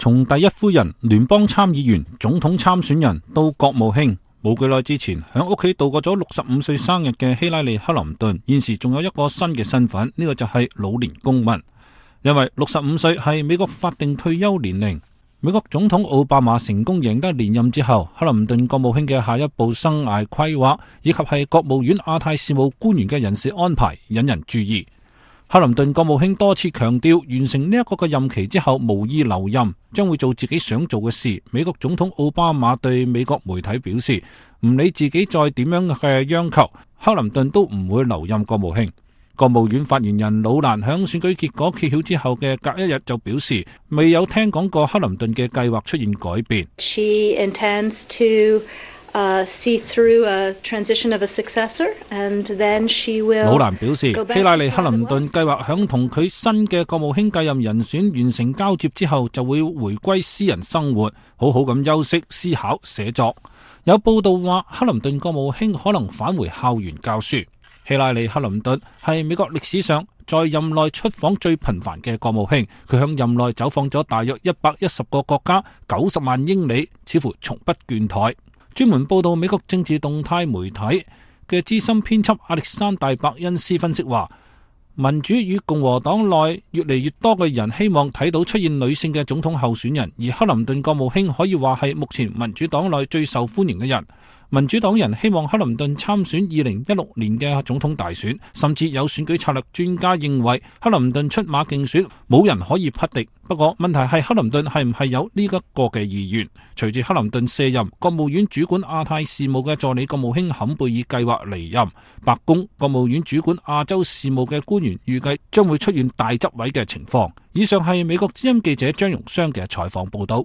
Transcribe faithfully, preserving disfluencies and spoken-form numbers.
從第一夫人、聯邦參議員、總統參選人到國務卿，冇幾耐之前喺屋企度過咗六十五歲生日嘅希拉里·克林頓，現時仲有一個新嘅身份，呢個就係老年公民。因為六十五歲係美國法定退休年齡。美國總統奧巴馬成功贏得連任之後，克林頓國務卿嘅下一步生涯規劃以及係國務院亞太事務官員嘅人事安排引人注意。克林頓國務卿多次強調，完成呢一個嘅任期之後無意留任，將會做自己想做嘅事。美國總統奧巴馬對美國媒體表示，唔理自己再點樣嘅央求，克林頓都唔會留任國務卿。國務院發言人魯蘭響選舉結果揭曉之後嘅隔一日就表示，未有聽講過克林頓嘅計劃出現改變。She intends to uh, see through a transition of a successor, and then she will. 魯蘭表示，希拉里·克林頓計劃響同佢新嘅國務卿繼任人選完成交接之後，就會回歸私人生活，好好咁休息、思考、寫作。有報道話，克林頓國務卿可能返回校園教書。希拉里·克林頓係美國歷史上在任內出訪最頻繁嘅國務卿，佢向任內走訪咗大約一百一十個國家，九十萬英里，似乎從不倦怠。專門報道美國政治動態媒體嘅資深編輯亞歷山大·伯恩斯分析話，民主與共和黨內越嚟越多嘅人希望睇到出現女性嘅總統候選人，而克林頓國務卿可以話係目前民主黨內最受歡迎嘅人。民主黨人希望克林頓參選二零一六年嘅總統大選，甚至有選舉策略專家認為克林頓出馬競選冇人可以匹敵。不過問題係克林頓係唔係有呢一個嘅意願？隨住克林頓卸任，國務院主管亞太事務嘅助理國務卿坎貝爾計劃離任，白宮國務院主管亞洲事務嘅官員預計將會出現大執位嘅情況。以上係美國之音記者張榮湘嘅採訪報道。